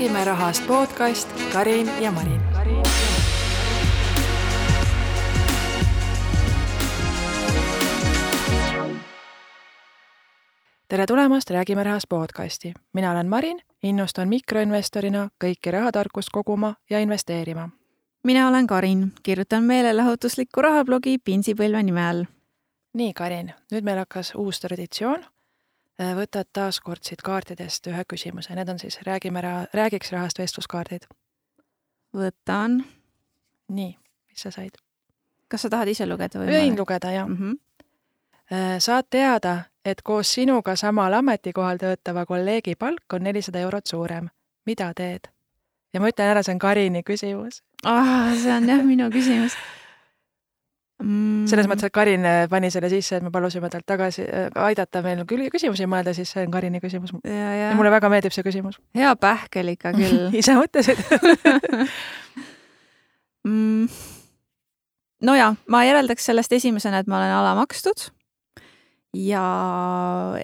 Räägime rahast podcast Karin ja Marin. Tere tulemast Räägime rahast podcasti. Mina olen Marin, innustan mikroinvestorina kõiki rahatarkust koguma ja investeerima. Mina olen Karin, kirjutan meelelahutuslikku rahablogi Pinsipõlve nime all. Nii, Karin, nüüd meil hakkas uus traditsioon. Võtad taas kord siit kaartidest ühe küsimuse. Need on siis räägiks rahast vestluskaardid. Võtan. Nii, mis sa said? Kas sa tahad ise lugeda? Võin lugeda, jah. Saad teada, et koos sinuga samal ametikohal töötava kolleegi palk on 400 eurot suurem. Mida teed? Ja ma ütlen ära, see on Karini küsimus. See on jah minu küsimus. Selles mõttes, et Karin pani selle sisse, et me palusime talt tagasi aidata meil küsimusi mõelda, siis see on Karini küsimus. Ja mulle väga meeldib see küsimus. Hea pähkel ikka küll. Ise mõtlesid. No ja, ma järeldaks sellest esimesena, et ma olen alamakstud ja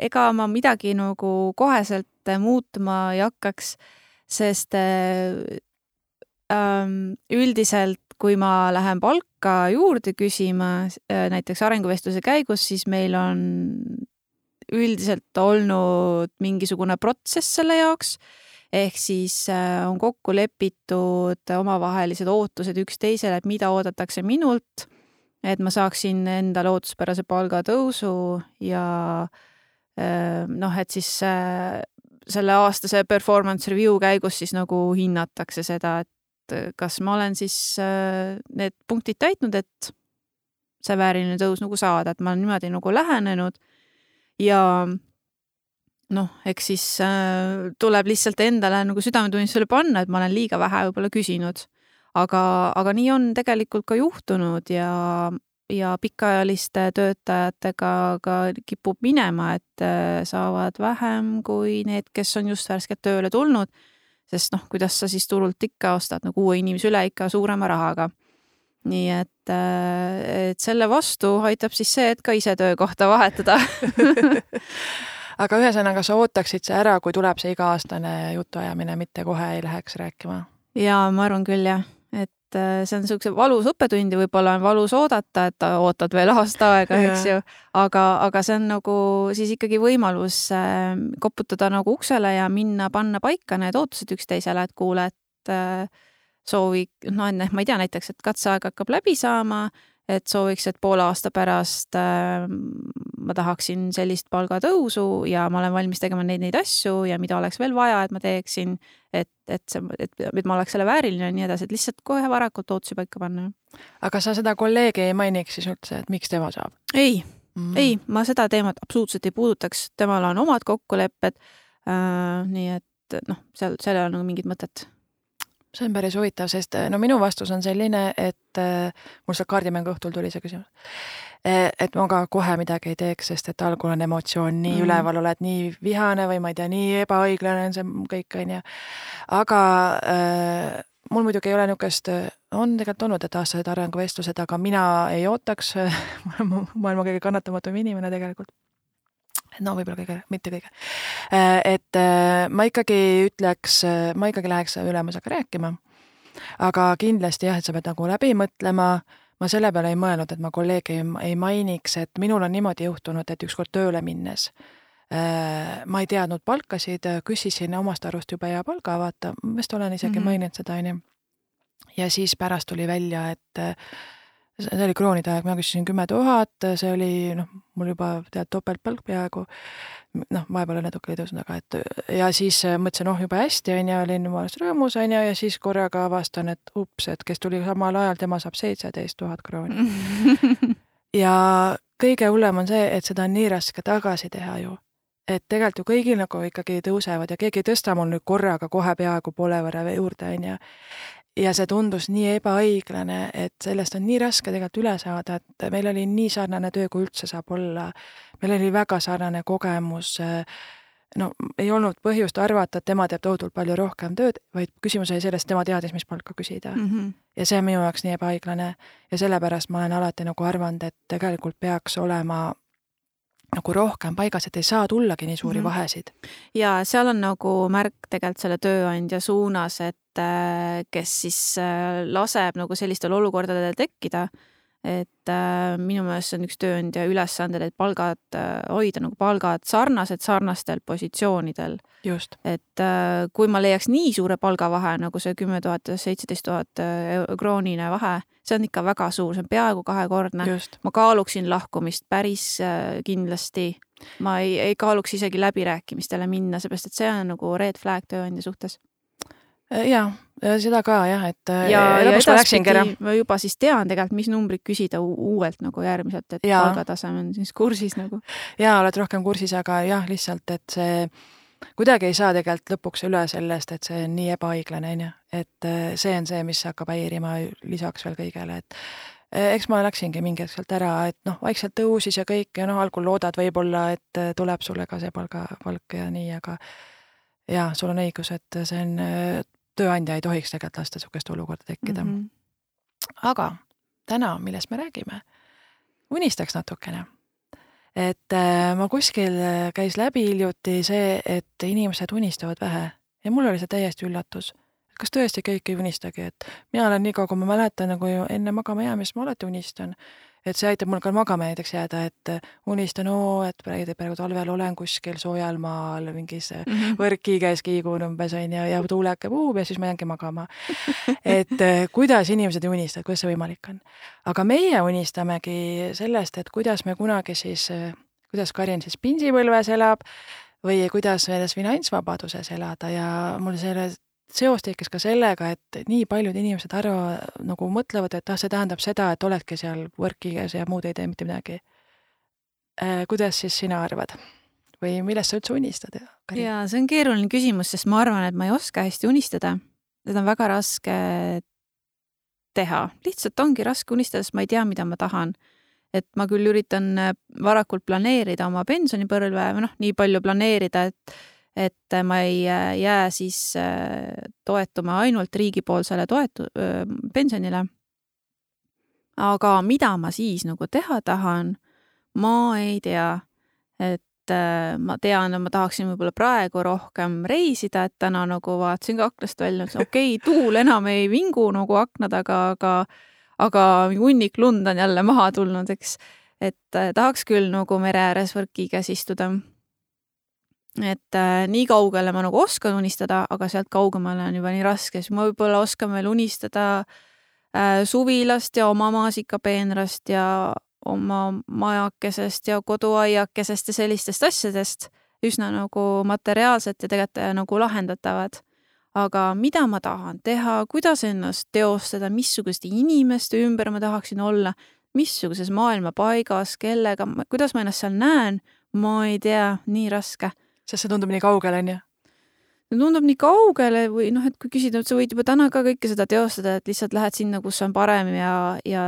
ega ma midagi nagu koheselt muutma ei hakkaks, sest üldiselt kui ma lähen palka juurde küsima, näiteks arenguvestluse käigus, siis meil on üldiselt olnud mingisugune protsess selle jaoks, ehk siis on kokku lepitud omavahelised ootused üksteisele, et mida oodatakse minult, et ma saaksin endale ootuspärase palgatõusu ja et siis selle aastase performance review käigus siis nagu hinnatakse seda, et kas ma olen siis need punktid täitnud, et see vääriline tõus nagu saada, et ma olen niimoodi nagu lähenenud ja eks siis tuleb lihtsalt endale nagu südametunnistusele panna, et ma olen liiga vähe võib-olla küsinud. Aga nii on tegelikult ka juhtunud ja pikaajaliste töötajatega ka kipub minema, et saavad vähem kui need, kes on just värskelt tööle tulnud, sest kuidas sa siis turult ikka ostad nagu uue inimese üle ikka suurema rahaga. Nii et selle vastu aitab siis see, et ka ise töökohta vahetada. Aga ühesõnaga sa ootaksid see ära, kui tuleb see iga-aastane jutuajamine, mitte kohe ei läheks rääkima? Jaa, ma arvan küll jah, et see on niisuguse valus õppetund ja võib-olla on valus oodata, et ootad veel aasta aega, eks ju. Aga see on nagu siis ikkagi võimalus koputada nagu uksele ja panna paika need ootused üksteisele, et kuule, et ma ei tea näiteks, et katseaeg hakkab läbi saama, et sooviks, et poole aasta pärast ma tahaksin sellist palgatõusu ja ma olen valmis tegema neid asju ja mida oleks veel vaja, et ma teeksin, et ma oleks selle vääriline ja nii edasi, et lihtsalt kohe varakult ootusi paika panna. Aga sa seda kolleegi ei mainiks siis üldse, et miks tema saab? Ei, ma seda teemat absoluutselt ei puudutaks, temal on omad kokkulepped, nii et seal on nagu mingid mõtet. See on päris huvitav, sest minu vastus on selline, et mul see kaardimängu õhtul tuli see küsimus, et ma ka kohe midagi ei teeks, sest et algul on emotsioon nii üleval, oled nii vihane või ma ei tea, nii ebaõiglane on see kõik, on ja. Aga mul muidugi ei ole niukest, on tegelikult olnud, et aastased arenguvestlused, aga mina ei ootaks, maailma kõige kannatamatum inimene tegelikult. Võib-olla mitte kõige. Et ma ikkagi läheks ülemusega rääkima, aga kindlasti jah, et sa pead nagu läbi mõtlema. Ma selle peale ei mõelnud, et ma kolleegi ei mainiks, et minul on niimoodi juhtunud, et ükskord tööle minnes ma ei teadnud palkasid, küsisin omast arust juba ja palga vaata, vist olen isegi maininud seda, ja siis pärast tuli välja, et see oli kroonide aeg, ma küsisin 10 000, see oli mul juba topeltpalk peaaegu, vahepeal natuke oli tõusnud, ja siis mõtlesin, juba hästi, olin jumalast rõõmus, ja siis korraga avastan, et et kes tuli samal ajal, tema saab 17 000 krooni. Ja kõige hullem on see, et seda on nii raske tagasi teha ju. Et tegelikult ju kõigil nagu ikkagi tõusevad ja keegi ei tõsta mul nüüd korraga kohe peaaegu poole võrra juurde, ja see tundus nii ebaõiglane, et sellest on nii raske tegelikult üle saada, et meil oli nii sarnane töö, kui üldse saab olla. Meil oli väga sarnane kogemus. Ei olnud põhjust arvata, et tema teeb tohutult palju rohkem tööd, vaid küsimus oli sellest, tema teadis, mis palka küsida. Ja see on minu jaoks nii ebaõiglane. Ja sellepärast ma olen alati nagu arvanud, et tegelikult peaks olema nagu rohkem paigas, et ei saa tullagi nii suuri vahesid. Ja seal on nagu märk tegelikult selle tööandja suunas, et kes siis laseb nagu sellistel olukordadel tekkida, et minu meelest see on üks tööandja ülesanded, et hoida nagu palgad sarnastel positsioonidel. Just. Et kui ma leiaks nii suure palgavahe, nagu see 10 000 ja 17 000 kroonine vahe, see on ikka väga suur, see on peaaegu 2-kordne. Just. Ma kaaluksin lahkumist päris kindlasti. Ma ei kaaluks isegi läbirääkimistele minna, seepärast, et see on nagu red flag tööandja suhtes. Jaa, seda ka jah, et ja edaspidi ma juba siis tean tegelikult, mis numbrid küsida uuelt nagu järgmiselt, et palgataseme on siis kursis nagu. Jaa, oled rohkem kursis, aga jah, lihtsalt, et see kuidagi ei saa tegelikult lõpuks üle sellest, et see on nii ebaõiglane, et see on see, mis hakkab häirima lisaks veel kõigele, et eks ma läksingi mingi hetk sealt ära, et vaikselt tõusis ja kõik ja algul loodad võib-olla, et tuleb sulle ka see palk ja nii, aga jah, sul on õigus, et see on tööandja ei tohiks tegelikult lasta sukest olukorda tekkida. Aga täna, millest me räägime, unistaks natukene. Et ma kuskil käis läbi hiljuti see, et inimesed unistavad vähe ja mul oli see täiesti üllatus. Kas tõesti kõik ei unistagi, et mina olen nii kaua, kui ma mäletan nagu enne magama jäämist, ma alati unistan. Et see aitab mul ka magama näiteks jääda, et unistan, et praegu talvel olen kuskil soojal maal, mingis võrki käes kiigun umbes ja tuuleke puhub ja siis ma jäängi magama. Et kuidas inimesed ei unistavad, kuidas see võimalik on. Aga meie unistamegi sellest, et kuidas me kunagi siis, kuidas Karin siis pinsipõlves elab või kuidas selles finantsvabaduses elada ja mul selle seos tekkis ka sellega, et nii paljud inimesed nagu mõtlevad, et see tähendab seda, et oledki seal workiges ja muud ei tee mitte midagi. Kuidas siis sina arvad? Või millest sa üldse unistad? Ja see on keeruline küsimus, sest ma arvan, et ma ei oska hästi unistada. Seda on väga raske teha. Lihtsalt ongi raske unistada, sest ma ei tea, mida ma tahan. Et ma küll üritan varakult planeerida oma pensionipõlve, või nii palju planeerida, et ma ei jää siis toetuma ainult riigipoolsele pensionile. Aga mida ma siis nagu teha tahan, ma ei tea. Et ma tean, et ma tahaksin võib-olla praegu rohkem reisida, et täna nagu vaatasin ka aknast välja, et tuul enam ei vingu nagu aknad, aga hunnik lund on jälle maha tulnud, eks. Et tahaks küll nagu mere ääres võrki käes istuda. Et nii kaugele ma nagu oskan unistada, aga sealt kaugemale on juba nii raske, siis ma võib-olla oskan veel unistada suvilast ja oma maasikapeenrast ja oma majakesest ja koduaiakesest ja sellistest asjadest üsna nagu materiaalselt ja tegelikult nagu lahendatavad. Aga mida ma tahan teha, kuidas ennast teostada, missuguste inimeste ümber ma tahaksin olla, missuguses maailma paigas, kellega, kuidas ma ennast seal näen, ma ei tea, nii raske. Sest see tundub nii kaugele, on ju? See tundub nii kaugele või et kui küsida, et sa võid juba täna ka kõike seda teostada, et lihtsalt lähed sinna, kus on parem ja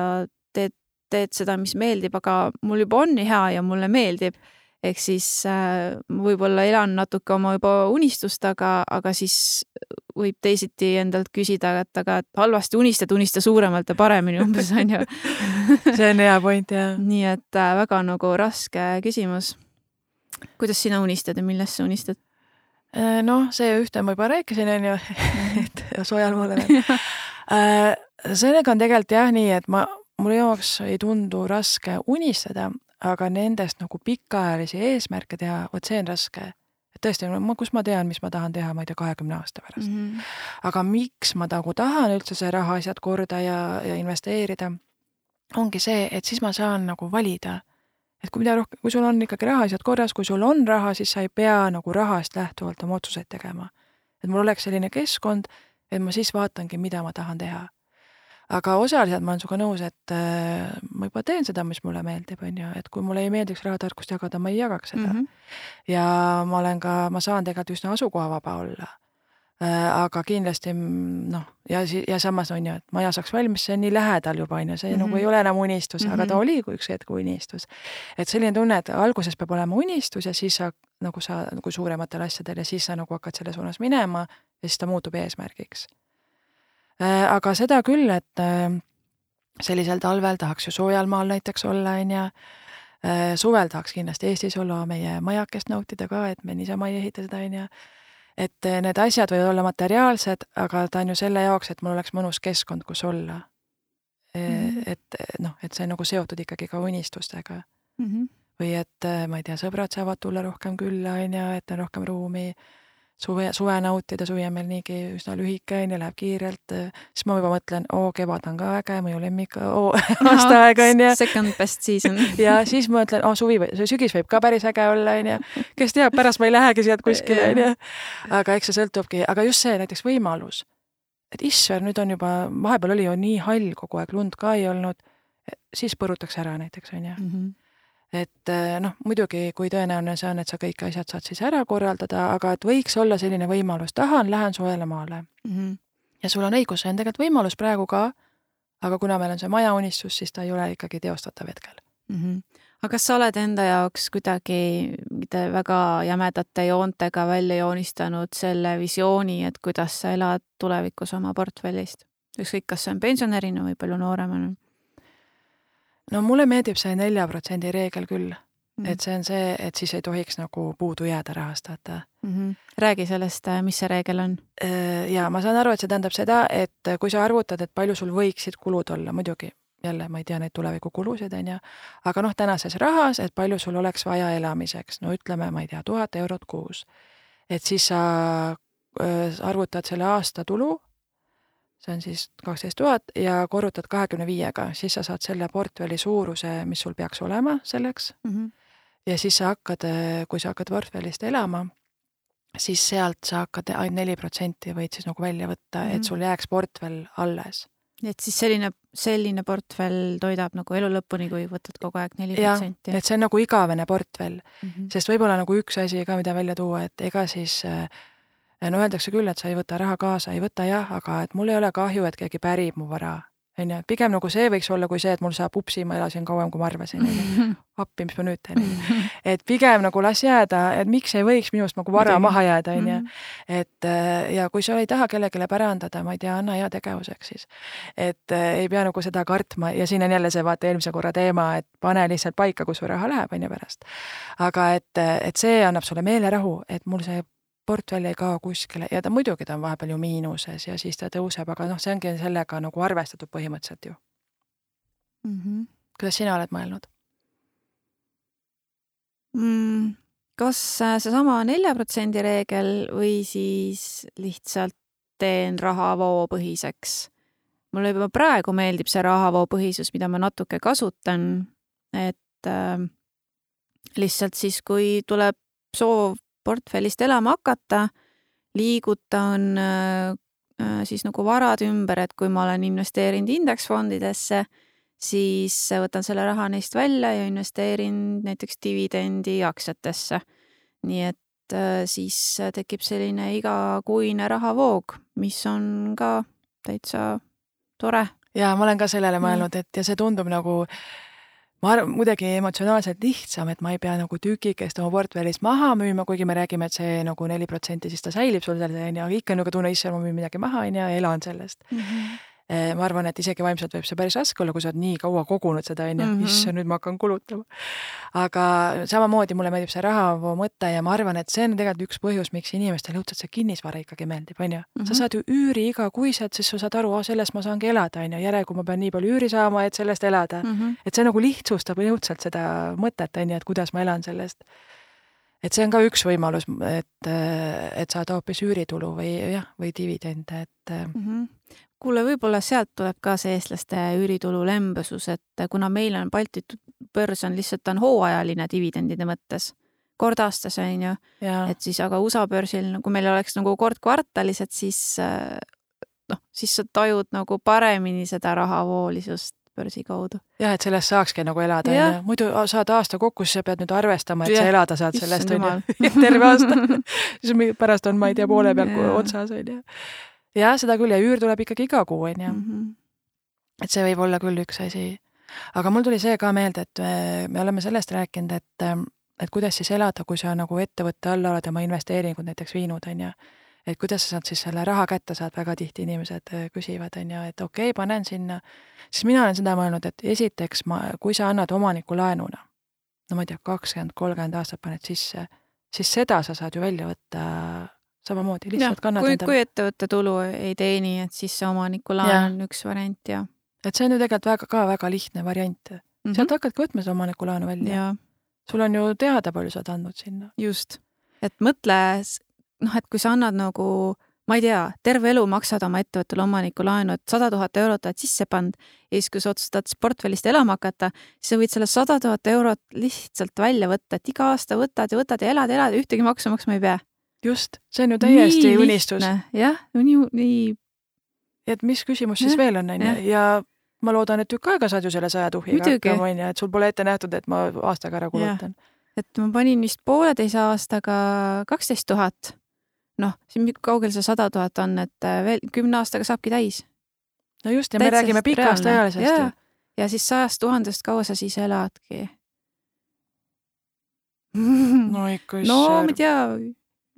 teed seda, mis meeldib, aga mul juba on nii hea ja mulle meeldib. Ehk siis võib-olla elan natuke oma juba unistust, aga siis võib teisiti endalt küsida, et halvasti unista suuremalt ja paremini umbes on ju. See on hea point, jah. Nii et väga nagu raske küsimus. Kuidas sina unistad ja millest sa unistad? See ühte ma juba rääkisin, on ju, et soojal maal olen. Sellega on tegelikult jah nii, et mul jaoks ei tundu raske unistada, aga nendest nagu pikaajalisi eesmärke teha, see on raske. Et tõesti, kus ma tean, mis ma tahan teha, ma ei tea, 20 aasta pärast. Aga miks ma tahan üldse see raha asjad korda ja investeerida, ongi see, et siis ma saan nagu valida. Et kui sul on ikkagi raha asjad korras, kui sul on raha, siis sa ei pea nagu rahast lähtuvalt oma otsuseid tegema. Et mul oleks selline keskkond, et ma siis vaatangi, mida ma tahan teha. Aga osaliselt ma olen suga nõus, et ma juba teen seda, mis mulle meeldib, on ju, et kui mulle ei meeldiks rahatarkust jagada, ma ei jagaks seda. Ja ma saan tegelikult üsna asukohavaba olla. Aga kindlasti, ja samas on ju, et maja saaks valmis, see on nii lähedal juba, on ju, see nagu ei ole enam unistus, aga ta oli üks hetk unistus. Et selline tunne, et alguses peab olema unistus ja siis sa nagu suurematel asjadel ja siis sa nagu hakkad selle suunas minema ja siis ta muutub eesmärgiks. Aga seda küll, et sellisel talvel tahaks ju soojal maal näiteks olla, on ja Suvel tahaks kindlasti Eestis olla meie majakest nautida ka, et me niisama ei ehita seda, on ju. Et need asjad võivad olla materiaalsed, aga ta on ju selle jaoks, et mul oleks mõnus keskkond, kus olla. Et see on nagu seotud ikkagi ka unistustega. Või et, ma ei tea, sõbrad saavad tulla rohkem külla, on ju, et on rohkem ruumi, suve nautida, suvi on meil niigi üsna lühike, on ju, läheb kiirelt, siis ma juba mõtlen, kevad on ka äge, mõju lemmik, aastaaeg, on ju. Second best season. Ja siis ma mõtlen, sügis võib ka päris äge olla, on ju. Kes teab, pärast ma ei lähegi sealt kuskile, on ju. Aga eks see sõltubki, aga just see näiteks võimalus, et isser, nüüd on juba, vahepeal oli ju nii hall kogu aeg, lund ka ei olnud, siis põrutaks ära näiteks, on ju. Et muidugi, kui tõenäoline see on, et sa kõik asjad saad siis ära korraldada, aga et võiks olla selline võimalus, lähen soojale maale. Ja sul on õigus, see on tegelikult võimalus praegu ka, aga kuna meil on see majaunistus, siis ta ei ole ikkagi teostatav hetkel. Aga kas sa oled enda jaoks kuidagi väga jämedate joontega välja joonistanud selle visiooni, et kuidas sa elad tulevikus oma portfellist? Ükskõik, kas see on pensionärina või palju nooremana? No mulle meeldib see 4% reegel küll, et see on see, et siis ei tohiks nagu puudu jääda rahastada. Räägi sellest, mis see reegel on? Ja ma saan aru, et see tähendab seda, et kui sa arvutad, et palju sul võiksid kulud olla, muidugi jälle ma ei tea neid tulevikukulusid, on ju, aga tänases rahas, et palju sul oleks vaja elamiseks, no ütleme, ma ei tea, 1000 eurot kuus. Et siis sa arvutad selle aasta tulu, see on siis 12 000 ja korrutad 25-ga, siis sa saad selle portfelli suuruse, mis sul peaks olema selleks. Ja siis sa hakkad, kui sa hakkad portfellist elama, siis sealt sa hakkad ainult 4% võid siis nagu välja võtta, et sul jääks portfell alles. Et siis selline portfell toidab nagu elu lõpuni, kui võtad kogu aeg 4%. Ja, et see on nagu igavene portfell, sest võib-olla nagu üks asi ka, mida välja tuua, et ega siis öeldakse küll, et sa ei võta raha kaasa, ei võta jah, aga et mul ei ole kahju, et keegi pärib mu vara. Pigem nagu see võiks olla kui see, et mul saab upsi, ma elasin kauem, kui ma arvasin. Appi, mis ma nüüd teen. Et pigem nagu las jääda, et miks ei võiks minust nagu vara maha jääda. Et ja kui sa ei taha kellegile pärandada, ma ei tea, anna hea tegevuseks siis. Et ei pea nagu seda kartma ja siin on jälle see vaata eelmise korra teema, et pane lihtsalt paika, kus su raha läheb on ja pärast. Aga et see annab sulle meelerahu, et mul see portfell ei kao kuskile ja ta muidugi ta on vahepeal ju miinuses ja siis ta tõuseb, aga see ongi sellega nagu arvestatud põhimõtteliselt ju. Kuidas sina oled mõelnud? Kas see sama 4% reegel või siis lihtsalt teen rahavoo põhiseks? Mulle juba praegu meeldib see rahavoo põhisus, mida ma natuke kasutan, et lihtsalt siis, kui tuleb soov portfellist elama hakata, liigutan siis nagu varad ümber, et kui ma olen investeerinud indeksfondidesse, siis võtan selle raha neist välja ja investeerin näiteks dividendi aktsiatesse. Nii et siis tekib selline igakuine rahavoog, mis on ka täitsa tore. Ja ma olen ka sellele mõelnud, et ja see tundub nagu muidugi emotsionaalselt lihtsam, et ma ei pea nagu tükikest oma portfellist maha müüma, kuigi me räägime, et see nagu 4%, siis ta säilib sul selle, aga ikka nagu tunne isse, ma müün midagi maha ja elan sellest. Ma arvan, et isegi vaimselt võib see päris raske olla, kui sa oled nii kaua kogunud seda, issa nüüd ma hakkan kulutama. Aga samamoodi mulle meeldib see rahavoo mõte ja ma arvan, et see on tegelikult üks põhjus, miks inimestel õudselt see kinnisvara ikkagi meeldib, on ju. Sa saad ju üüri iga kuiselt, siis sa saad aru, sellest ma saangi elada, on ju, järelikult ma pean nii palju üüri saama, et sellest elada. Et see nagu lihtsustab õudselt seda mõtet, on ju, et kuidas ma elan sellest. Et see on ka üks võimalus, et saada hoopis üüritulu või dividende, et Kuule, võib-olla sealt tuleb ka see eestlaste üüritulu lembesus, et kuna meil on Balti börs on lihtsalt on hooajaline dividendide mõttes, kord aastas on ju, et siis aga USA börsil, kui meil oleks nagu kord kvartalis, et siis sa tajud nagu paremini seda rahavoolisust börsi kaudu. Ja, et sellest saakski nagu elada. Muidu saad aasta kokku, siis sa pead nüüd arvestama, et sa elada saad sellest terve aasta. Siis pärast on, ma ei tea, poole peal otsas on ju. Ja seda küll ja üür tuleb ikkagi iga kuu, on ju. Et see võib olla küll üks asi. Aga mul tuli see ka meelde, et me oleme sellest rääkinud, et kuidas siis elada, kui sa nagu ettevõtte alla oled oma investeeringud näiteks viinud, on ju. Et kuidas sa saad siis selle raha kätte saad, väga tihti inimesed küsivad, on ju, et okei, panen sinna. Siis mina olen seda mõelnud, et esiteks, kui sa annad omaniku laenuna, no ma ei tea, 20-30 aastat paned sisse, siis seda sa saad ju välja võtta samamoodi, lihtsalt kannad kui ettevõtte tulu ei teeni, et siis see omanikulaen on üks variant ja. Et see on ju tegelikult väga lihtne variant. Sealt hakkadki võtma seda omanikulaenu välja. Ja. Sul on ju teada, palju sa andnud sinna. Just. Et mõtle, et kui sa annad nagu, ma ei tea, terve elu maksad oma ettevõttele omanikulaenu, et 100 000 eurot oled sisse pand ja siis, kui sa otsustad portfellist elama hakata, siis sa võid selle 100 000 eurot lihtsalt välja võtta, et iga aasta võtad ja elad, ühtegi maksu maksma ei pea. Just, see on ju täiesti nii unistus. Jah, nii. Et mis küsimus siis veel on, ja ma loodan, et tükk aega saad ju selle 100 000 hakkama, et sul pole ette nähtud, et ma aastaga ära kulutan. Et ma panin vist 1,5 aastaga 12 000. Noh, siin kaugel see 100 000 on, et veel 10 aastaga saabki täis. No just, ja me räägime pikast ajalisest. Ja siis 100 000 kaua sa siis eladki. No ikka no ma ei tea,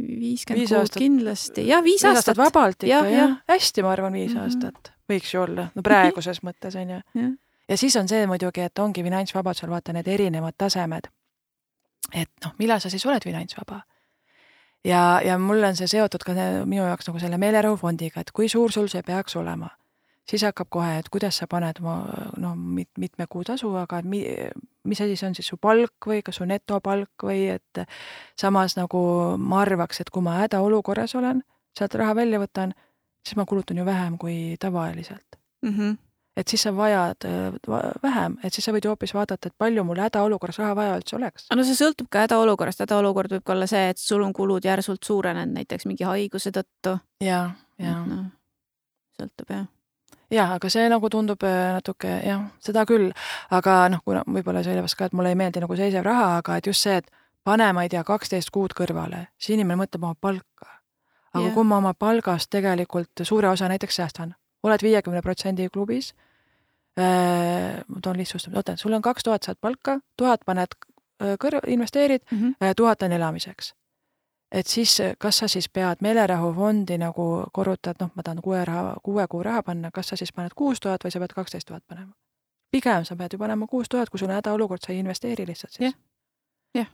50 kuud kindlasti. Ja 5 aastat. Vabalt ikka, jah. Hästi, ma arvan, 5 aastat. Võiks ju olla, no praeguses mõttes on ju. Ja siis on see muidugi, et ongi finantsvabadusel vaata need erinevad tasemed. Et millal sa siis oled finantsvaba? Ja mulle on see seotud ka minu jaoks nagu selle meelerahufondiga, et kui suur sul see peaks olema. Siis hakkab kohe, et kuidas sa paned mitme kuu tasu, aga mis asi see on siis su palk või kas su netopalk või et samas nagu ma arvaks, et kui ma hädaolukorras olen, sealt raha välja võtan, siis ma kulutan ju vähem kui tavaliselt. Et siis sa vajad vähem, et siis sa võid ju hoopis vaadata, et palju mul hädaolukorras raha vaja üldse oleks. No see sõltub ka hädaolukorrast. Hädaolukord võib olla see, et sul on kulud järsult suurenenud näiteks mingi haiguse tõttu. Ja. Sõltub, jah. Ja, aga see nagu tundub natuke, seda küll. Aga kuna võib-olla sellepärast ka, et mulle ei meeldi nagu seisev raha, aga et just see, et pane, ma ei tea, 12 kuud kõrvale, siis inimene mõtleb oma palka. Aga kui ma oma palgast tegelikult suure osa näiteks säästan, oled 50% klubis, ma toon lihtsustama, sul on 2000 saad palka, 1000 paned investeerid, 1000 on elamiseks. Et siis, kas sa siis pead meelerahufondi nagu korrutad, ma tahan 6 kuu raha panna, kas sa siis paned 6000 või sa pead 12 000 panema? Pigem sa pead ju panema 6000, kui sul on hädaolukord, sa ei investeeri lihtsalt siis. Jah.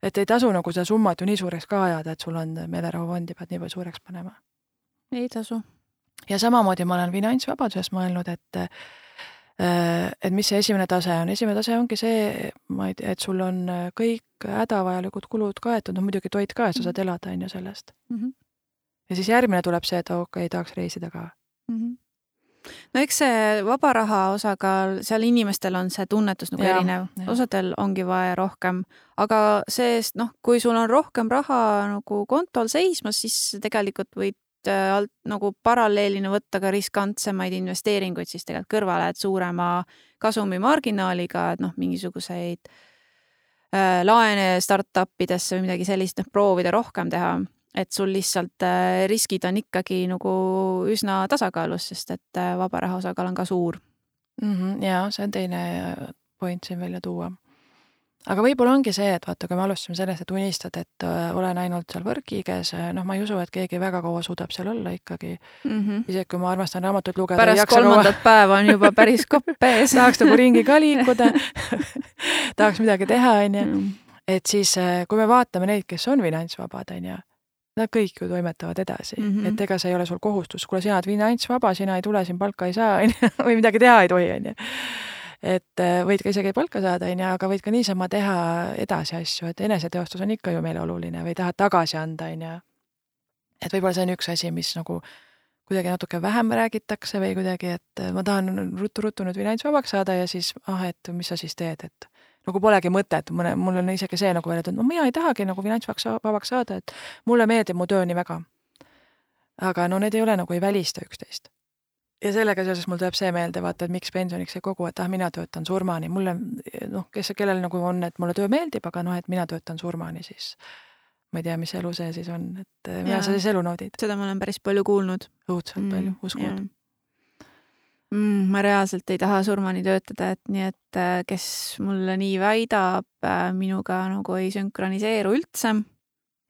Et ei tasu nagu seda summat ju nii suureks ka ajada, et sul on meelerahufondi, pead nii palju suureks panema. Ei tasu. Ja samamoodi ma olen finantsvabaduses mõelnud, et mis see esimene tase on. Esimene tase ongi see, et sul on kõik hädavajalikud kulud kaetud, muidugi toit ka, et sa saad elada on ju sellest. Ja siis järgmine tuleb see, et tahaks reisida ka. No eks see vaba raha osakaal, seal inimestel on see tunnetus nagu erinev. Osadel ongi vaja rohkem, aga seest, kui sul on rohkem raha nagu kontol seismas, siis tegelikult võid nagu paralleelina võtta ka riskantsemaid investeeringuid siis tegelikult kõrvale, et suurema kasumi marginaaliga, et mingisuguseid laene startupidesse või midagi sellist proovida rohkem teha, et sul lihtsalt riskid on ikkagi nagu üsna tasakaalus, sest et vaba raha osakaal on ka suur. Ja, see on teine point siin välja tuua. Aga võib-olla ongi see, et vaata, kui me alustame sellest, et unistad, et olen ainult seal võrkiges, ma ei usu, et keegi väga kaua suudab seal olla ikkagi. Isegi kui ma armastan raamatut lugeda. Pärast 3. päeva on juba päris koppees. Tahaks nagu ringi ka liikuda. Tahaks midagi teha, on ju. Et siis, kui me vaatame neid, kes on finantsvabad, on ju, nad kõik ju toimetavad edasi. Et ega see ei ole sul kohustus. Kui sina oled finantsvaba, sina ei tule, siin palka ei saa, või midagi teha ei tohi, on ju. Et võid ka isegi palka saada, aga võid ka niisama teha edasi asju, et eneseteostus on ikka ju meile oluline või tahad tagasi anda, on ju. Et võib-olla see on üks asi, mis nagu kuidagi natuke vähem räägitakse või kuidagi, et ma tahan ruttu nüüd finantsvabaks saada ja siis, et mis sa siis teed, et nagu polegi mõtet, mul on isegi see nagu veel, et mina ei tahagi nagu finantsvabaks saada, et mulle meeldib mu töö nii väga. Aga need ei ole nagu ei välista üksteist. Ja sellega seoses mul tuleb see meelde, vaata, et miks pensioniks ei kogu, et mina töötan surmani. Mulle, kellel nagu on, et mulle töö meeldib, aga et mina töötan surmani, siis ma ei tea, mis elu see siis on, et mina sa siis elu naudid. Seda ma olen päris palju kuulnud. Õudselt palju, uskud. Ma reaalselt ei taha surmani töötada, et nii, et kes mulle nii väidab, minuga nagu ei sünkroniseeru üldse.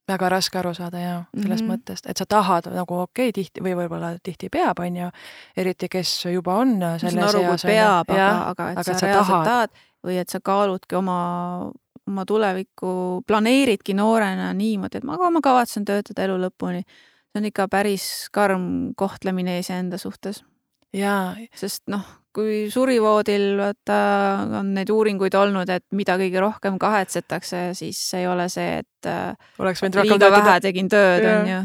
Väga raske aru saada sellest mõttest, et sa tahad nagu tihti või võib-olla tihti peab, on ju, eriti kes juba on selles eas. Peab, aga et sa reaalselt tahad või et sa kaaludki oma oma tulevikku planeeridki noorena niimoodi, et ma kavatsen töötada elu lõpuni. See on ikka päris karm kohtlemine iseenda suhtes. Jaa. Sest kui surivoodil on neid uuringuid olnud, et mida kõige rohkem kahetsetakse, siis ei ole see, et liiga vähe tegin tööd, on ju.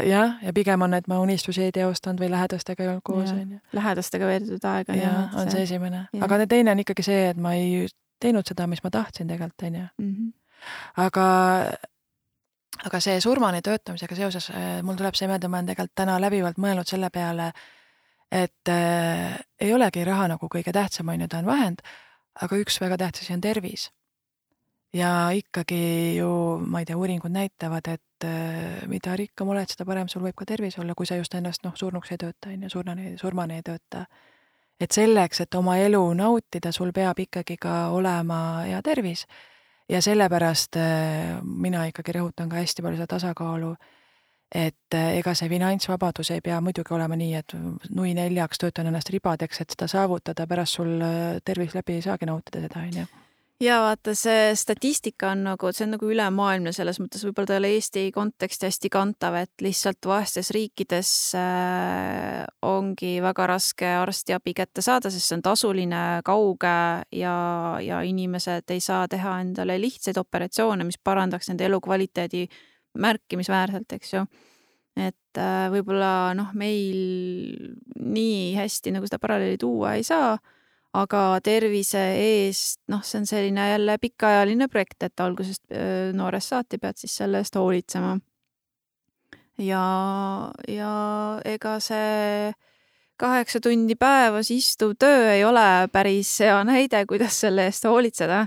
Jah, ja pigem on, et ma unistusi ei teostanud või lähedastega ei olnud koos. Lähedastega veedetud aega. Ja, on see esimene. Aga teine on ikkagi see, et ma ei teinud seda, mis ma tahtsin tegelikult, on ju. Aga see surmani töötamisega seoses, mul tuleb see meelde, ma olen tegelikult täna läbivalt mõelnud selle peale, et ei olegi raha nagu kõige tähtsam, on ju, ta on vahend, aga üks väga tähtsasi on tervis. Ja ikkagi ju, ma ei tea, uuringud näitavad, et mida rikkam oled, seda parem sul võib ka tervis olla, kui sa just ennast surnuks ei tööta, surmani ei tööta. Et selleks, et oma elu nautida, sul peab ikkagi ka olema hea tervis. Ja sellepärast mina ikkagi rõhutan ka hästi palju seda tasakaalu, et ega see finantsvabadus ei pea muidugi olema nii, et nui 4 töötan ennast ribadeks, et seda saavutada, pärast sul tervis läbi ei saagi nautida seda, on ju. Ja vaata, see statistika on see on ülemaailmne selles mõttes, võib-olla ta ei ole Eesti konteksti hästi kantav, et lihtsalt vaestes riikides ongi väga raske arstiabi kätte saada, sest see on tasuline, kauge ja inimesed ei saa teha endale lihtsaid operatsioone, mis parandaks nende elukvaliteedi märkimisväärselt, eks ju. Et võib-olla meil nii hästi seda paralleeli tuua ei saa, aga tervise eest, see on selline jälle pikaajaline projekt, et algusest noorest saati pead siis selle eest hoolitsema. Ja ega see 8 tundi päevas istuv töö ei ole päris hea näide, kuidas selle eest hoolitseda.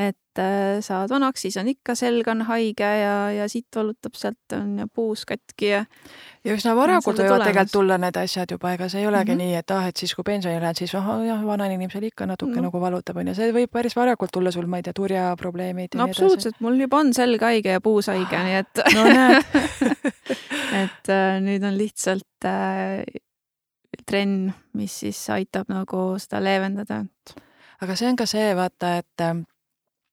Et saad vanaks, siis on ikka selg on haige ja siit valutab sealt on ja puus katki ja üsna varakult võivad tegelikult tulla need asjad juba, ega see ei olegi nii, et et siis kui pensioni lähed, siis vana inimesel ikka natuke nagu valutab, on ja see võib päris varakult tulla sul, ma ei tea, turjaprobleemid. No absoluutselt, mul juba on selg haige ja puus haige, nii et no näed. et nüüd on lihtsalt trenn, mis siis aitab seda leevendada. Aga see on ka see, vaata, et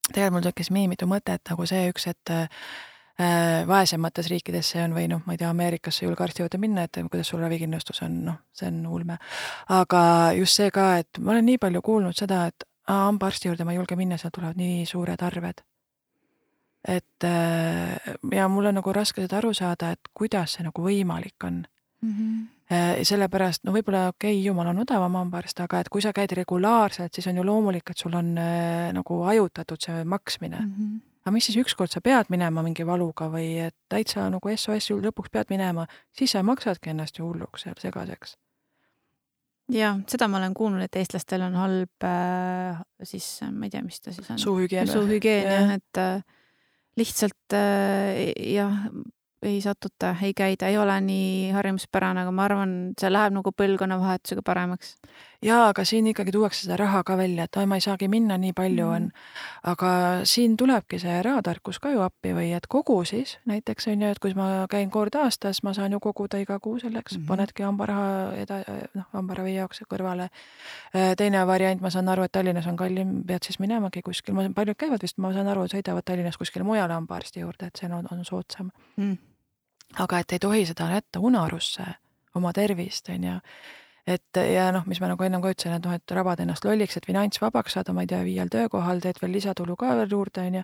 tegelikult mul tekkis mitu mõtet see üks, et vaesemates riikides see on või ma ei tea, Ameerikasse julge arsti juurde minna, et kuidas sul ravikindlustus on, see on ulme. Aga just see ka, et ma olen nii palju kuulnud seda, et hambaarsti juurde ma ei julge minna, seal tulevad nii suured arved. Et ja mul on raske seda aru saada, et kuidas see võimalik on. Sellepärast, võib-olla jumal on odavam hambaarst, aga et kui sa käid regulaarselt, siis on ju loomulik, et sul on ajutatud see maksmine. Aga mis siis ükskord sa pead minema mingi valuga või et täitsa SOS lõpuks pead minema, siis sa maksadki ennast ju hulluks seal segaseks. Ja, seda ma olen kuulnud, et eestlastel on halb siis, ma ei tea, mis ta siis on. Suuhügieen, et lihtsalt ei satuta, ei käida, ei ole nii harjumuspärane, aga ma arvan, see läheb põlvkonnavahetusega paremaks. Jaa, aga siin ikkagi tuuakse seda raha ka välja, et ma ei saagi minna, nii palju on. Aga siin tulebki see rahatarkus ka ju appi või et kogu siis, näiteks on ju, et kui ma käin kord aastas, ma saan ju koguda iga kuu selleks, panedki hambaravi jaoks kõrvale. Teine variant, ma saan aru, et Tallinnas on kallim, pead siis minemagi kuskil, paljud käivad vist, ma saan aru, et sõidavad Tallinnas kuskil mujale hambaarsti juurde, et see on soodsam. Aga et ei tohi seda jätta unarusse oma tervist, on ju. Et ja mis ma enne ka ütlesin, et rabad ennast lolliks, et finantsvabaks saada, ma ei tea, 5 töökohal, teed veel lisatulu ka veel juurde, on ju.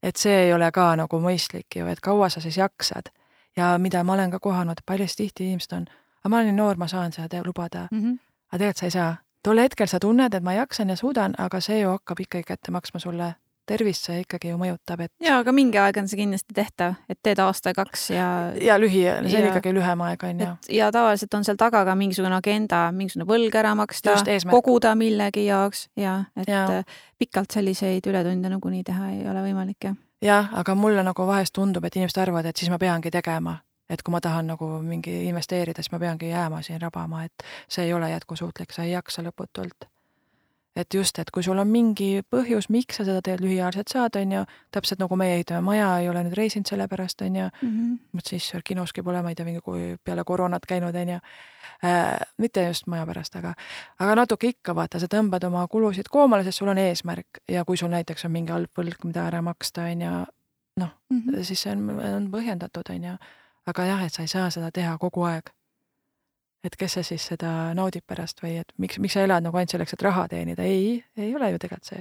Et see ei ole ka mõistlik ju, et kaua sa siis jaksad. Ja mida ma olen ka kohanud, paljast tihti inimesed on, aga ma olen nii noor, ma saan seda lubada. Aga tegelikult sa ei saa. Tol hetkel sa tunned, et ma jaksan ja suudan, aga see ju hakkab ikkagi kätte maksma sulle tervist, see ikkagi ju mõjutab, et... Jaa, aga mingi aeg on see kindlasti tehtav, et teed aasta 2 ja... Ja see on ikkagi lühem aeg, on ju. Ja tavaliselt on seal taga ka mingisugune agenda, mingisugune võlg ära maksta, koguda millegi jaoks, et pikalt selliseid ületunde nii teha ei ole võimalik, jah. Jah, aga mulle vahest tundub, et inimesed arvavad, et siis ma peangi tegema. Et kui ma tahan mingi investeerida, siis ma peangi jääma siin rabama, et see ei ole jätkusuutlik, sa ei jaksa lõputult. et just, et kui sul on mingi põhjus, miks sa seda teed lühiajaliselt saad, on ju, täpselt nagu meie ehitame maja, ei ole nüüd reisinud selle pärast, on ju, siis kinoski pole, ma ei tea, mingi kui peale koroonat käinud, on ju, mitte just maja pärast, aga natuke ikka vaata, sa tõmbad oma kulusid koomale, sest sul on eesmärk ja kui sul näiteks on mingi halb võlg, mida ära maksta, on ju, noh, siis see on põhjendatud, on ju, aga jah, et sa ei saa seda teha kogu aeg. Et kes sa siis seda naudib pärast või et miks sa elad nagu ainult selleks, et raha teenida? Ei ole ju tegelikult see.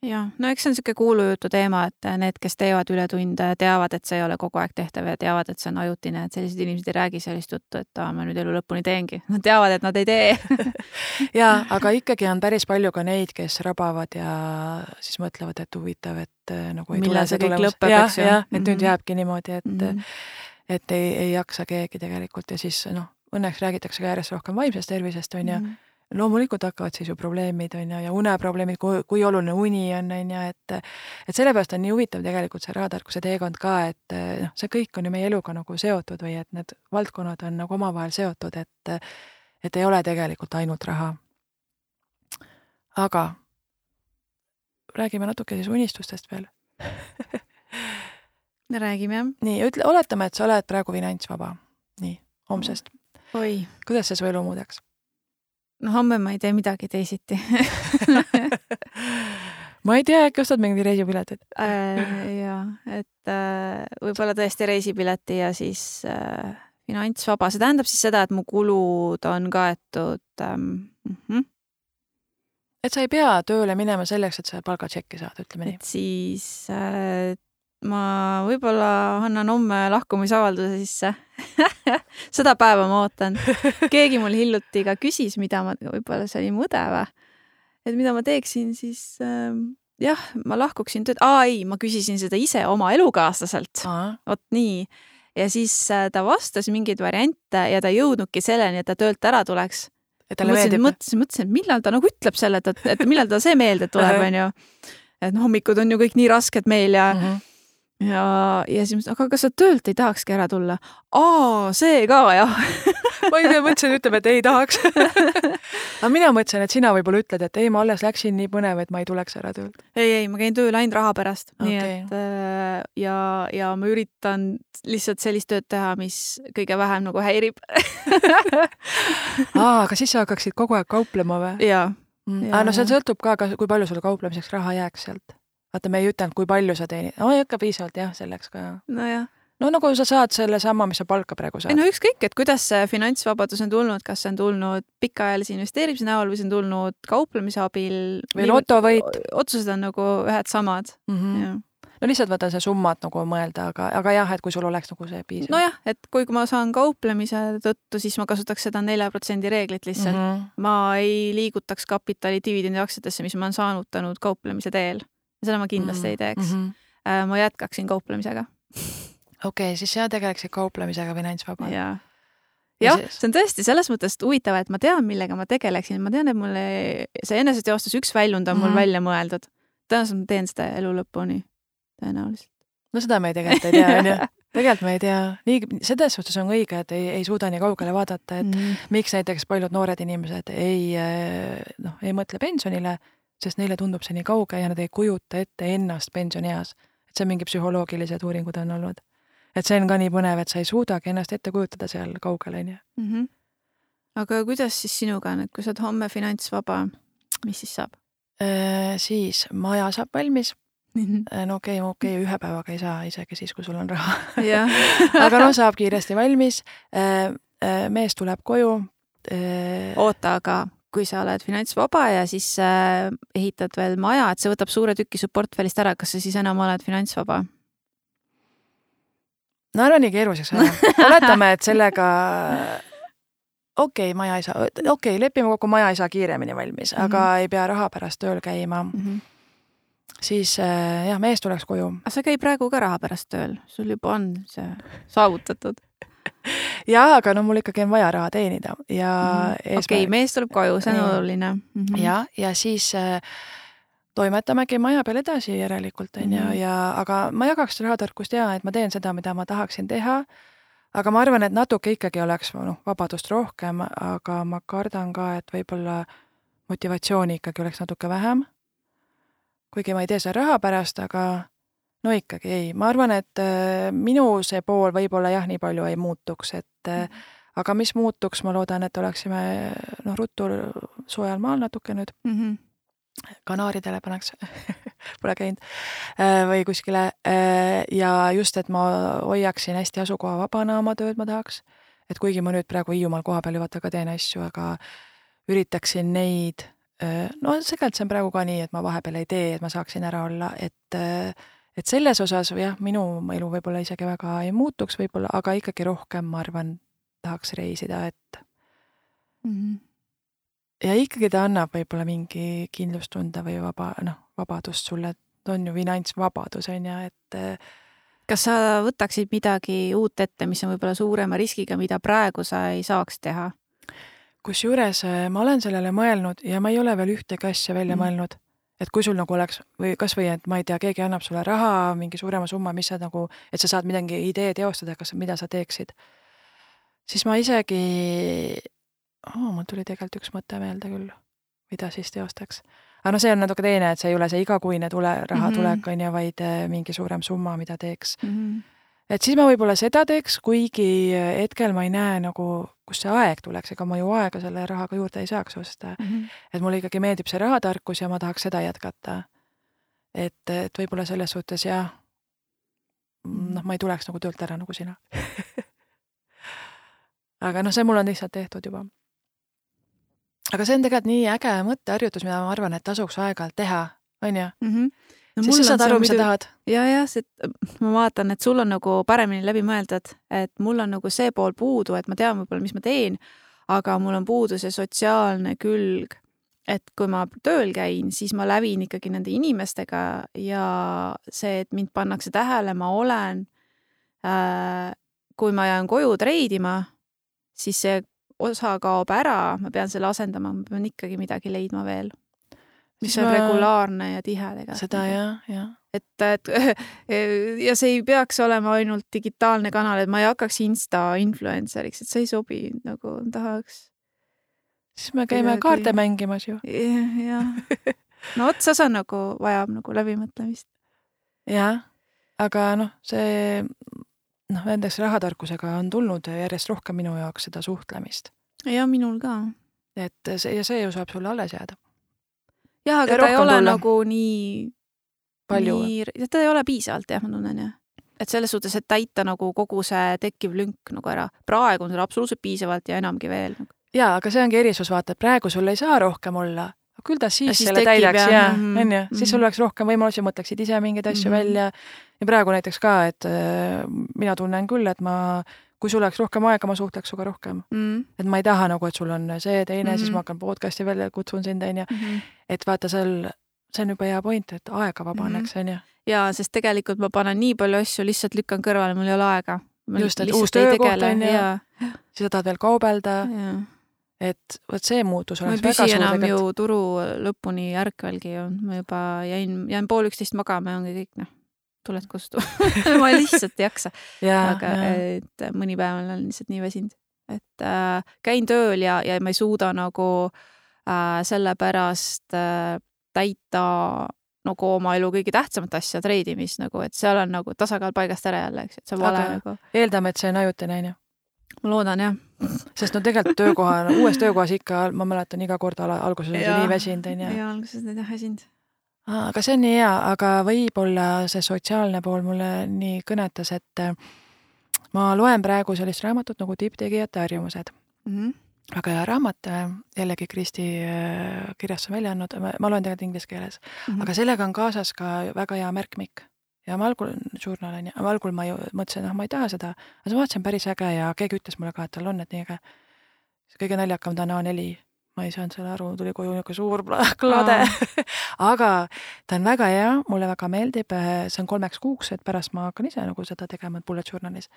Jah, no eks see on siuke kuulujutu teema, et need, kes teevad ületunde, teavad, et see ei ole kogu aeg tehtav ja teavad, et see on ajutine, et sellised inimesed ei räägi sellist juttu, et ma nüüd elu lõpuni teengi. Nad teavad, et nad ei tee. Ja, aga ikkagi on päris palju ka neid, kes rabavad ja siis mõtlevad, et huvitav, et nagu ei millal tule see kõik lõpeb, eks ju. Et nüüd jääbki niimoodi, et ei jaksa keegi tegelikult ja siis õnneks räägitakse ka järjest rohkem vaimsest tervisest, on ju. Loomulikult hakkavad siis ju probleemid, on ju, ja uneprobleemid, kui oluline uni on, et sellepärast on nii huvitav tegelikult see rahatarkuse teekond ka, et see kõik on ju meie eluga nagu seotud või et need valdkonnad on nagu omavahel seotud, et ei ole tegelikult ainult raha. Aga räägime natuke siis unistustest veel. Räägime. Nii, oletame, et sa oled praegu finantsvaba. Nii, homsest. Oi. Kuidas see su elu muudaks? No homme ma ei tee midagi teisiti. Ma ei tea, äkki ostad mingi reisipiletit? Ja, et võib-olla tõesti reisipileti ja siis finantsvaba. See tähendab siis seda, et mu kulud on kaetud. Et sa ei pea tööle minema selleks, et sa palgatšekki saad, ütleme nii. Et siis ma võib-olla annan homme lahkumisavalduse sisse. Seda päeva ma ootan. Keegi mul hiljuti ka küsis, mida ma, võib-olla see oli mõdeva, et mida ma teeksin, siis jah, ma lahkuksin tööd. Ei, ma küsisin seda ise oma elukaaslaselt. Ot nii. Ja siis ta vastas mingeid variante ja ta jõudnudki selleni, et ta töölt ära tuleks. Mõtlesin, et millal ta nagu ütleb selle, et millal ta see meelde tuleb, on ju. Et hommikud on ju kõik nii rasked meil ja ja siis mõtlesin, aga kas sa töölt ei tahakski ära tulla? See ka, jah. Ma ei mõtlesin, ütleb, et ei tahaks. Aga mina mõtlesin, et sina võib-olla ütled, et ei, ma alles läksin nii põnev, et ma ei tuleks ära töölt. Ei, ma käin tööl ainult raha pärast. Nii et ja ma üritan lihtsalt sellist tööd teha, mis kõige vähem nagu häirib. Aga siis sa hakkaksid kogu aeg kauplema või? Jaa. No see sõltub ka, kui palju sul kauplemiseks raha jääks sealt. Vaata, me ei ütelnud, kui palju sa teenid. Ei hakka piisavalt, jah, selleks ka. No jah. No nagu sa saad selle sama, mis sa palka praegu saad. No ükskõik, et kuidas see finantsvabadus on tulnud, kas see on tulnud pikaajalise investeerimise näol või see on tulnud kauplemise abil. Või lotovõit. Otsused on nagu ühed samad. No lihtsalt võta see summat nagu mõelda, aga jah, et kui sul oleks nagu see piisav. No jah, et kui ma saan kauplemise tõttu, siis ma kasutaks seda 4% reeglit lihtsalt. Ma ei liigutaks kapitali dividendi aktsiatesse, mis ma olen saanutanud kauplemise teel. Seda ma kindlasti ei teeks. Ma jätkaksin kauplemisega. Okei, siis sina tegeleksid kauplemisega finantsvaba. Jah, see on tõesti selles mõttes huvitav, et ma tean, millega ma tegeleksin. Ma tean, et mulle see eneseteostus üks väljund on mul välja mõeldud. Tõenäoliselt ma teen seda elu lõpuni. Tõenäoliselt. No seda me tegelikult ei tea, on ju. Tegelikult me ei tea. Selles suhtes on õige, et ei suuda nii kaugele vaadata, et miks näiteks paljud noored inimesed ei mõtle pensionile, sest neile tundub see nii kauge ja nad ei kujuta ette ennast pensionieas. Et see mingi psühholoogilised uuringud on olnud. Et see on ka nii põnev, et sa ei suudagi ennast ette kujutada seal kaugel, on ju. Aga kuidas siis sinuga on, et kui sa oled homme finantsvaba, mis siis saab? Siis maja saab valmis. No okei, ühe päevaga ei saa, isegi siis, kui sul on raha. Aga saab kiiresti valmis. Mees tuleb koju. Oota, aga kui sa oled finantsvaba ja siis ehitad veel maja, et see võtab suure tüki su portfellist ära, kas sa siis enam oled finantsvaba? No ära nii keeruliseks ära. Oletame, et sellega maja ei saa, lepime kokku, maja ei saa kiiremini valmis, aga ei pea raha pärast tööl käima. Siis mees tuleks koju. Aga sa käi praegu ka raha pärast tööl, sul juba on see saavutatud. Jaa, aga mul ikkagi on vaja raha teenida. Okei, mees tuleb koju, see on oluline. Ja siis toimetamegi maja peal edasi järelikult, aga ma jagaks rahatarkust et ma teen seda, mida ma tahaksin teha, aga ma arvan, et natuke ikkagi oleks vabadust rohkem, aga ma kardan ka, et võib-olla motivatsiooni ikkagi oleks natuke vähem. Kuigi ma ei tee seda raha pärast, aga no ikkagi ei. Ma arvan, et minu see pool võib-olla jah, nii palju ei muutuks, et aga mis muutuks, ma loodan, et oleksime ruttu soojal maal natuke nüüd. Kanaaridele paneks, pole käinud, või kuskile. Ja just, et ma hoiaksin hästi asukoha vabana oma tööd ma tahaks. Et kuigi ma nüüd praegu Hiiumaal koha peal vaata ka teen asju, aga üritaksin neid, no segalt see on praegu ka nii, et ma vahepeal ei tee, et ma saaksin ära olla, et selles osas jah, minu elu võib-olla isegi väga ei muutuks võib-olla, aga ikkagi rohkem, ma arvan, tahaks reisida, et ja ikkagi ta annab võib-olla mingi kindlustunda või vabadust sulle, et on ju finantsvabadus, on ja, et kas sa võtaksid midagi uut ette, mis on võib-olla suurema riskiga, mida praegu sa ei saaks teha? Kusjuures ma olen sellele mõelnud ja ma ei ole veel ühtegi asja välja mõelnud, et kui sul nagu oleks, või kas või, et ma ei tea, keegi annab sulle raha, mingi suurema summa, mis sa nagu, et sa saad midagi idee teostada, mida sa teeksid, siis ma isegi, mul tuli tegelikult üks mõte meelde küll, mida siis teostaks. Aga no see on natuke teine, et see ei ole see igakuine raha tulek, on ja vaid mingi suurem summa, mida teeks. Et siis ma võib-olla seda teeks, kuigi hetkel ma ei näe nagu, kus see aeg tuleks, ega ma ju aega selle rahaga juurde ei saaks osta. Et mulle ikkagi meeldib see rahatarkus ja ma tahaks seda jätkata. Et võib-olla selles suhtes jah, ma ei tuleks nagu töölt ära nagu sina. Aga see mul on lihtsalt tehtud juba. Aga see on tegelikult nii äge mõtteharjutus, mida ma arvan, et tasuks aeg-ajalt teha, on ju? No, siis sa saad aru, mis sa tahad. Ja, ma vaatan, et sul on nagu paremini läbi mõeldud, et mul on nagu see pool puudu, et ma tean võib-olla, mis ma teen, aga mul on puudu see sotsiaalne külg, et kui ma tööl käin, siis ma lävin ikkagi nende inimestega ja see, et mind pannakse tähele, ma olen, kui ma jään koju treidima, siis see osa kaob ära, ma pean selle asendama, ma pean ikkagi midagi leidma veel, mis on regulaarne ja tihe tegelikult. Seda jah. Et ja see ei peaks olema ainult digitaalne kanal, et ma ei hakkaks Insta-influenceriks, et see ei sobi, nagu tahaks. Siis me käime kaarte mängimas ju. Jah. No otsas on nagu, vajab nagu läbimõtlemist. Jah, aga see nendeks rahatarkusega on tulnud järjest rohkem minu jaoks seda suhtlemist. Ja minul ka. Et see ju saab sulle alles jääda. Jah, aga ta ei ole nagu nii palju. Ta ei ole piisavalt, jah, ma tunnen, jah. Et selles suhtes, et täita nagu kogu see tekkiv lünk nagu ära. Praegu on seda absoluutselt piisavalt ja enamgi veel. Jaa, aga see ongi erisus, vaata, et praegu sul ei saa rohkem olla. Küll ta siis selle täidaks, siis sul oleks rohkem võimalusi, mõtleksid ise mingeid asju välja. Ja praegu näiteks ka, et mina tunnen küll, et kui sul oleks rohkem aega, ma suhtleks suga rohkem. Et ma ei taha nagu, et sul on see teine, siis ma hakkan podcasti välja, kutsun sind, et vaata see on juba hea point, et aega vabaneks, on ju. Ja, sest tegelikult ma panen nii palju asju, lihtsalt lükkan kõrvale, mul ei ole aega. Just, et uus töökoht on ja siis tahad veel kaubelda. Et võt see muutus oleks väga suur. Ma ei püsi enam ju turu lõpuni ärkvelgi ju. Ma juba jäin 12:30 magama ja ongi kõik, tuled kustu. Ma lihtsalt ei jaksa. Aga et mõni päev olen lihtsalt nii väsinud. Et käin tööl ja ma ei suuda nagu sellepärast täita nagu oma elu kõige tähtsamat asja, treidimist, nagu, et seal on nagu tasakaal paigast ära jälle, eks, et see vale nagu. Eeldame, et see on ajutine, on ju. Ma loodan, jah. Sest tegelikult uues töökohas ikka, ma mäletan iga kord alguses nii väsinud, on ju. Ja alguses need väsinud. Aga see on nii hea, aga võib-olla see sotsiaalne pool mulle nii kõnetas, et ma loen praegu sellist raamatut nagu Tipptegijate harjumused. Väga hea raamat, jällegi Kristi kirjast on välja andnud, ma loen tegelikult inglise keeles, aga sellega on kaasas ka väga hea märkmik. Ja ma algul ma ju mõtlesin, ma ei taha seda, aga ma vaatasin päris äge ja keegi ütles mulle ka, et tal on need nii äge. Kõige naljakam ta on A4, ma ei saanud selle aru, tuli koju niisugune suur klade, aga ta on väga hea, mulle väga meeldib, see on 3 kuuks, et pärast ma hakkan ise nagu seda tegema bullet journalis.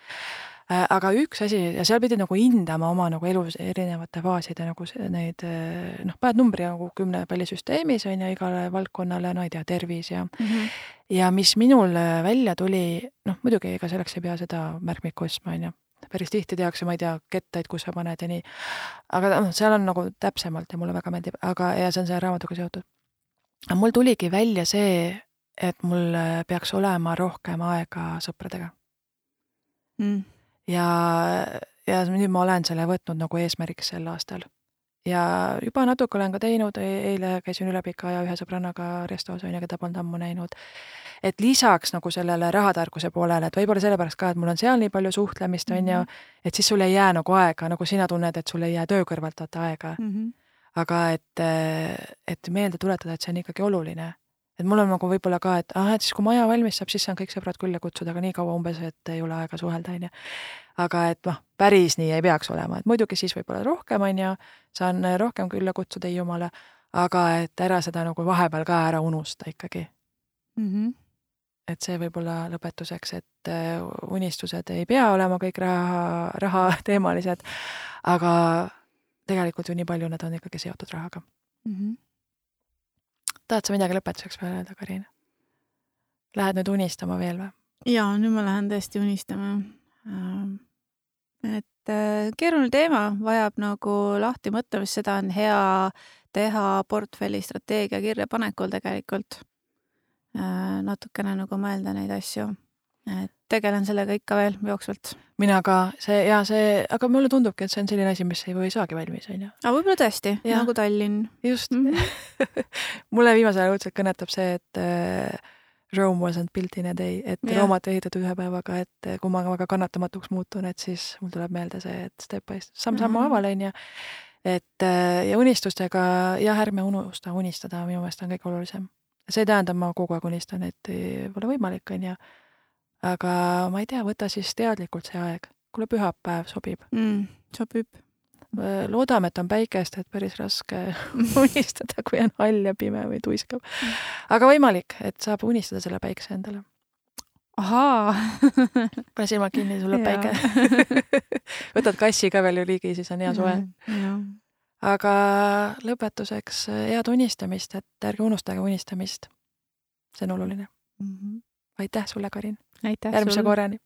Aga üks asi, ja seal pidi nagu hindama oma nagu elus erinevate faaside nagu neid, paned numbri nagu 10 pallisüsteemis on ja igale valdkonnale, ei tea, tervis ja mis minul välja tuli, muidugi ega selleks ei pea seda märkmikku ostma, on ju. päris tihti tehakse, ma ei tea, kettaid, kus sa paned ja nii. Aga seal on nagu täpsemalt ja mulle väga meeldib, ja see on see raamatuga seotud. Aga mul tuligi välja see, et mul peaks olema rohkem aega sõpradega. Ja nüüd ma olen selle võtnud nagu eesmärgiks sel aastal. Ja juba natuke olen ka teinud, eile käisin üle pika aja ühe sõbrannaga restos, keda polnud ammu näinud. Et lisaks nagu sellele rahatarkuse poolele, et võib-olla sellepärast ka, et mul on seal nii palju suhtlemist, et siis sul ei jää nagu aega, nagu sina tunned, et sul ei jää töö kõrvalt vaata aega. Aga et meelde tuletada, et see on ikkagi oluline. Et mul on nagu võib-olla ka, et siis kui maja valmis saab, siis saan kõik sõbrad külla kutsuda, aga nii kaua umbes, et ei ole aega suhelda, Aga et päris nii ei peaks olema, et muidugi siis võib-olla rohkem, saan rohkem külla kutsuda jumala, aga et ära seda nagu vahepeal ka ära unusta ikkagi. Et see võib-olla lõpetuseks, et unistused ei pea olema kõik raha teemalised, aga tegelikult ju nii palju nad on ikkagi seotud rahaga. Tahad sa midagi lõpetuseks veel öelda, Karin? Lähed nüüd unistama veel või? Jaa, nüüd ma lähen tõesti unistama. Et keeruline teema vajab nagu lahti mõtlemist, seda on hea teha portfelli strateegia kirja panekul tegelikult. Natukene nagu mõelda neid asju. Et tegelen sellega ikka veel jooksvalt. Mina ka, aga mulle tundubki, et see on selline asi, mis ei või saagi valmis, on ju. Aga võib-olla tõesti, nagu Tallinn. Just. Mulle viimasel ajal kõnetab see, et Rome wasn't built in a day, et Roomat ehitatud ühe päevaga, et kui ma väga kannatamatuks muutun, et siis mul tuleb meelde see, et step by samm-sammu avalen ja unistustega, ärme unusta unistada, minu meelest on kõik olulisem. See ei tähenda, ma kogu aeg unistan, et ei ole võimalik, on ju. Aga ma ei tea, võta siis teadlikult see aeg. Kuule pühapäev sobib. Sobib. Loodame, et on päikest, et päris raske unistada, kui on hall ja pime või tuiskab. Aga võimalik, et saab unistada selle päikse endale. Ahaa. Pane silma kinni, sulle päike. Võtad kassi ka veel ju ligi, siis on hea soe. Aga lõpetuseks head unistamist, et ärge unustage unistamist. See on oluline. Aitäh sulle, Karin. Aitäh järgmise korrani.